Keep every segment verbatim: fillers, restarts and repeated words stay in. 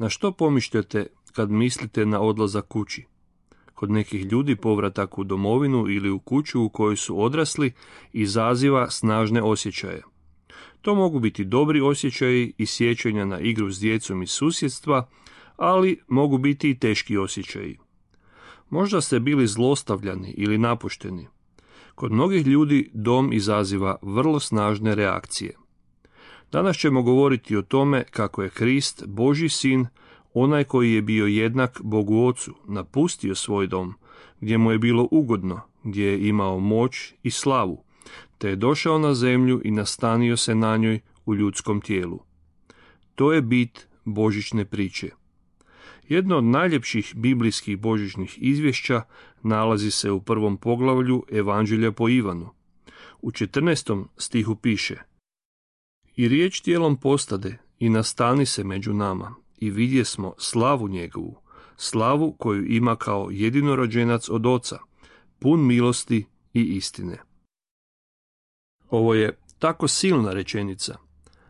Na što pomišljate kad mislite na odlazak kući? Kod nekih ljudi povratak u domovinu ili u kuću u kojoj su odrasli izaziva snažne osjećaje. To mogu biti dobri osjećaji i sjećanja na igru s djecom iz susjedstva, ali mogu biti i teški osjećaji. Možda ste bili zlostavljani ili napušteni. Kod mnogih ljudi dom izaziva vrlo snažne reakcije. Danas ćemo govoriti o tome kako je Krist, Božji sin, onaj koji je bio jednak Bogu Ocu, napustio svoj dom, gdje mu je bilo ugodno, gdje je imao moć i slavu, te je došao na zemlju i nastanio se na njoj u ljudskom tijelu. To je bit božićne priče. Jedno od najljepših biblijskih božićnih izvješća nalazi se u prvom poglavlju Evanđelja po Ivanu. U četrnaestom stihu piše: I riječ tijelom postade i nastani se među nama, i vidjesmo slavu njegovu, slavu koju ima kao jedinorođenac od Oca, pun milosti i istine. Ovo je tako silna rečenica.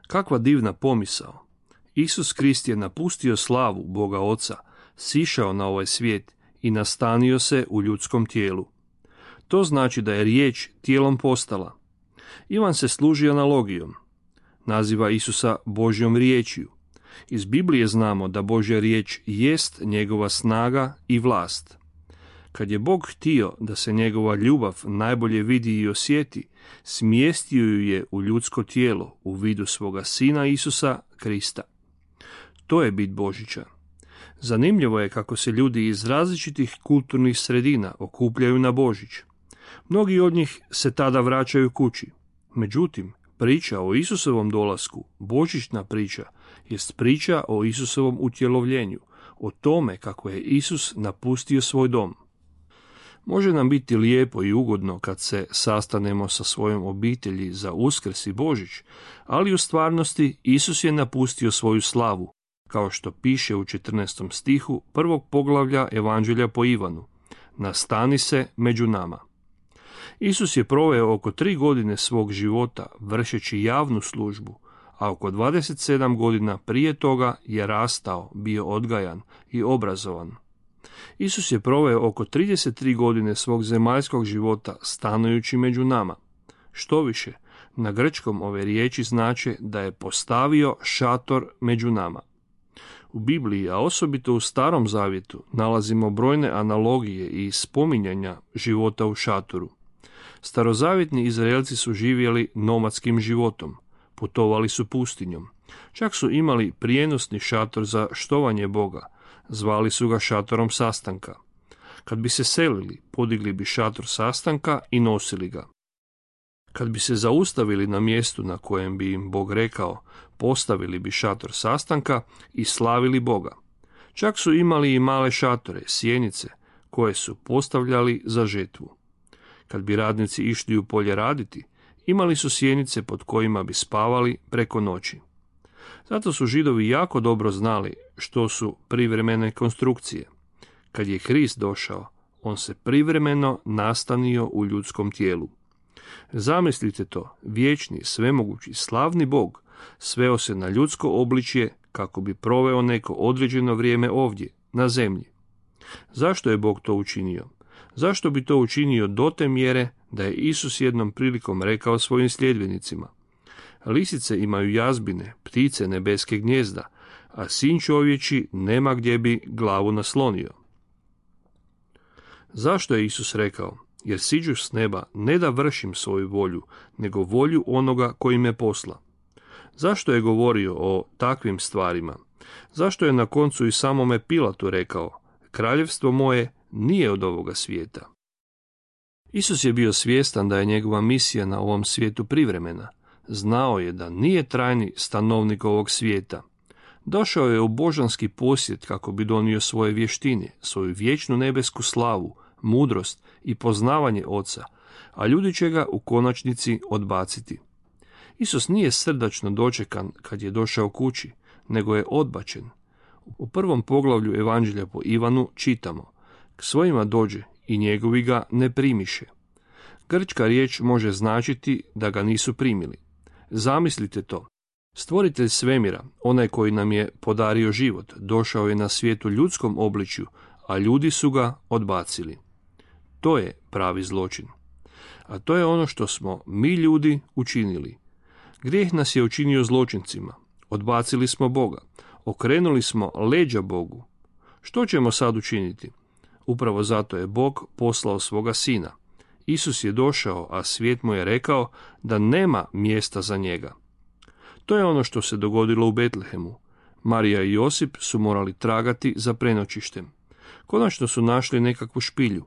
Kakva divna pomisao. Isus Krist je napustio slavu Boga Oca, sišao na ovaj svijet i nastanio se u ljudskom tijelu. To znači da je riječ tijelom postala. Ivan se služi analogijom. Naziva Isusa Božjom riječju. Iz Biblije znamo da Božja riječ jest njegova snaga i vlast. Kad je Bog htio da se njegova ljubav najbolje vidi i osjeti, smjestio ju je u ljudsko tijelo u vidu svoga sina Isusa Krista. To je bit Božića. Zanimljivo je kako se ljudi iz različitih kulturnih sredina okupljaju na Božić. Mnogi od njih se tada vraćaju kući. Međutim, priča o Isusovom dolasku, božićna priča, jest priča o Isusovom utjelovljenju, o tome kako je Isus napustio svoj dom. Može nam biti lijepo i ugodno kad se sastanemo sa svojom obitelji za Uskrs i Božić, ali u stvarnosti Isus je napustio svoju slavu, kao što piše u četrnaestom stihu prvog poglavlja Evanđelja po Ivanu. Nastani se među nama. Isus je proveo oko tri godine svog života vršeći javnu službu, a oko dvadeset sedam godina prije toga je rastao, bio odgajan i obrazovan. Isus je proveo oko trideset tri godine svog zemaljskog života stanujući među nama. Štoviše, na grčkom ove riječi znače da je postavio šator među nama. U Bibliji, a osobito u Starom zavjetu, nalazimo brojne analogije i spominjanja života u šatoru. Starozavjetni Izraelci su živjeli nomadskim životom, putovali su pustinjom. Čak su imali prijenosni šator za štovanje Boga, zvali su ga šatorom sastanka. Kad bi se selili, podigli bi šator sastanka i nosili ga. Kad bi se zaustavili na mjestu na kojem bi im Bog rekao, postavili bi šator sastanka i slavili Boga. Čak su imali i male šatore, sjenice, koje su postavljali za žetvu. Kad bi radnici išli u polje raditi, imali su sjenice pod kojima bi spavali preko noći. Zato su Židovi jako dobro znali što su privremene konstrukcije. Kad je Krist došao, on se privremeno nastanio u ljudskom tijelu. Zamislite to, vječni, svemogući, slavni Bog sveo se na ljudsko obličje kako bi proveo neko određeno vrijeme ovdje, na zemlji. Zašto je Bog to učinio? Zašto bi to učinio do te mjere da je Isus jednom prilikom rekao svojim sljedbenicima: Lisice imaju jazbine, ptice nebeske gnjezda, a sin čovječi nema gdje bi glavu naslonio. Zašto je Isus rekao: Jer siđu s neba ne da vršim svoju volju, nego volju onoga koji me posla? Zašto je govorio o takvim stvarima? Zašto je na koncu i samome Pilatu rekao: Kraljevstvo moje nije od ovoga svijeta? Isus je bio svjestan da je njegova misija na ovom svijetu privremena. Znao je da nije trajni stanovnik ovog svijeta. Došao je u božanski posjet kako bi donio svoje vještine, svoju vječnu nebesku slavu, mudrost i poznavanje Oca, a ljudi će ga u konačnici odbaciti. Isus nije srdačno dočekan kad je došao kući, nego je odbačen. U prvom poglavlju Evanđelja po Ivanu čitamo: K svojima dođe i njegovi ga ne primiše. Grčka riječ može značiti da ga nisu primili. Zamislite to. Stvoritelj svemira, onaj koji nam je podario život, došao je na svijet u ljudskom obličju, a ljudi su ga odbacili. To je pravi zločin. A to je ono što smo mi ljudi učinili. Grijeh nas je učinio zločincima. Odbacili smo Boga. Okrenuli smo leđa Bogu. Što ćemo sad učiniti? Upravo zato je Bog poslao svoga sina. Isus je došao, a svijet mu je rekao da nema mjesta za njega. To je ono što se dogodilo u Betlehemu. Marija i Josip su morali tragati za prenoćištem. Konačno su našli nekakvu špilju.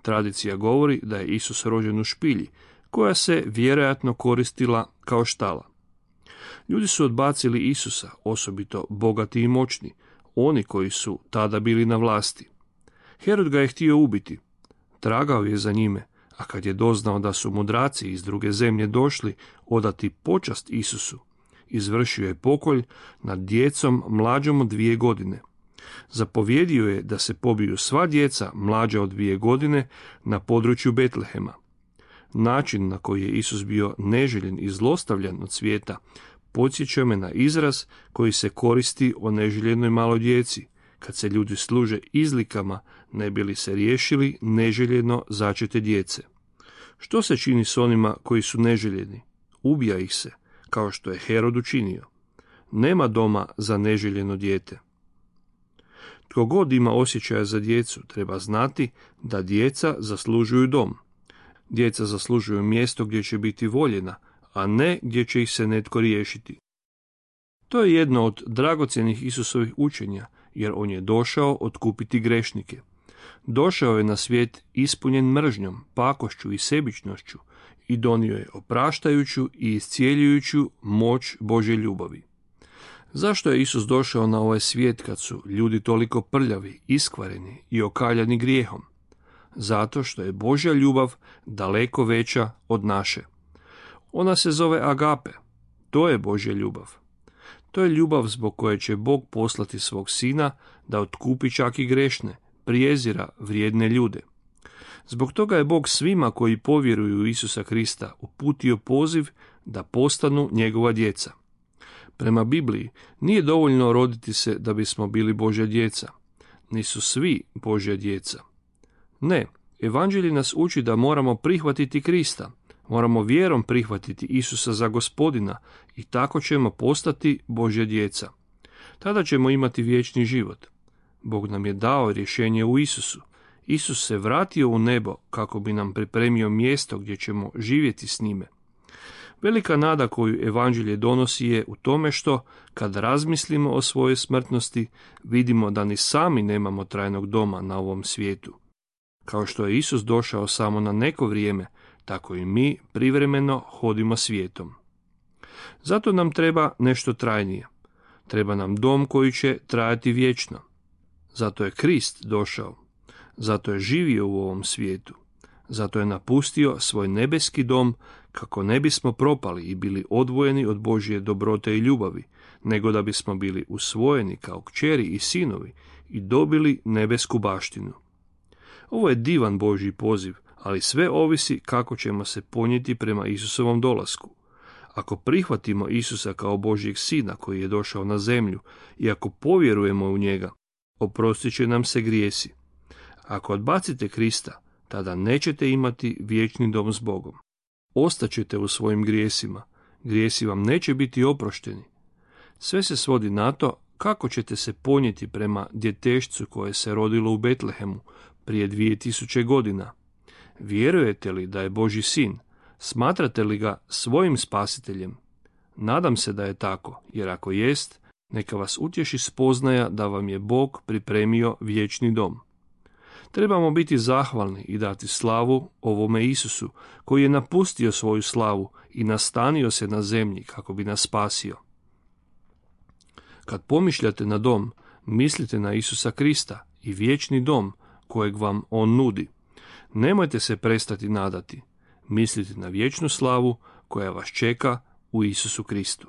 Tradicija govori da je Isus rođen u špilji, koja se vjerojatno koristila kao štala. Ljudi su odbacili Isusa, osobito bogati i moćni, oni koji su tada bili na vlasti. Herod ga je htio ubiti. Tragao je za njime, a kad je doznao da su mudraci iz druge zemlje došli odati počast Isusu, izvršio je pokolj nad djecom mlađom od dvije godine. Zapovjedio je da se pobiju sva djeca mlađa od dvije godine na području Betlehema. Način na koji je Isus bio neželjen i zlostavljan od svijeta podsjeća me na izraz koji se koristi o neželjenoj maloj djeci, kad se ljudi služe izlikama ne bi li se riješili neželjeno začete djece. Što se čini s onima koji su neželjeni? Ubija ih se, kao što je Herod učinio. Nema doma za neželjeno dijete. Tko god ima osjećaja za djecu, treba znati da djeca zaslužuju dom. Djeca zaslužuju mjesto gdje će biti voljena, a ne gdje će ih se netko riješiti. To je jedno od dragocjenih Isusovih učenja, jer on je došao otkupiti grešnike. Došao je na svijet ispunjen mržnjom, pakošću i sebičnošću i donio je opraštajuću i iscijeljujuću moć Božje ljubavi. Zašto je Isus došao na ovaj svijet kad su ljudi toliko prljavi, iskvareni i okaljani grijehom? Zato što je Božja ljubav daleko veća od naše. Ona se zove agape. To je Božja ljubav. To je ljubav zbog koje će Bog poslati svog sina da otkupi čak i grešne, prijezira vrijedne ljude. Zbog toga je Bog svima koji povjeruju u Isusa Krista uputio poziv da postanu njegova djeca. Prema Bibliji nije dovoljno roditi se da bismo bili Božja djeca. Nisu svi Božja djeca. Ne, evanđelje nas uči da moramo prihvatiti Krista. Moramo vjerom prihvatiti Isusa za Gospodina i tako ćemo postati Božja djeca. Tada ćemo imati vječni život. Bog nam je dao rješenje u Isusu. Isus se vratio u nebo kako bi nam pripremio mjesto gdje ćemo živjeti s njime. Velika nada koju evanđelje donosi je u tome što, kad razmislimo o svojoj smrtnosti, vidimo da ni sami nemamo trajnog doma na ovom svijetu. Kao što je Isus došao samo na neko vrijeme, tako i mi privremeno hodimo svijetom. Zato nam treba nešto trajnije. Treba nam dom koji će trajati vječno. Zato je Krist došao. Zato je živio u ovom svijetu. Zato je napustio svoj nebeski dom kako ne bismo propali i bili odvojeni od Božje dobrote i ljubavi, nego da bismo bili usvojeni kao kćeri i sinovi i dobili nebesku baštinu. Ovo je divan Božji poziv, ali sve ovisi kako ćemo se ponijeti prema Isusovom dolasku. Ako prihvatimo Isusa kao Božjeg sina koji je došao na zemlju i ako povjerujemo u njega, oprostit će nam se grijesi. Ako odbacite Krista, tada nećete imati vječni dom s Bogom. Ostaćete u svojim grijesima, grijesi vam neće biti oprošteni. Sve se svodi na to kako ćete se ponijeti prema djetešcu koje se rodilo u Betlehemu prije dvije tisuće godina. Vjerujete li da je Božji sin? Smatrate li ga svojim spasiteljem? Nadam se da je tako, jer ako jest, neka vas utješi spoznaja da vam je Bog pripremio vječni dom. Trebamo biti zahvalni i dati slavu ovome Isusu, koji je napustio svoju slavu i nastanio se na zemlji kako bi nas spasio. Kad pomišljate na dom, mislite na Isusa Krista i vječni dom kojeg vam on nudi. Nemojte se prestati nadati. Mislite na vječnu slavu koja vas čeka u Isusu Kristu.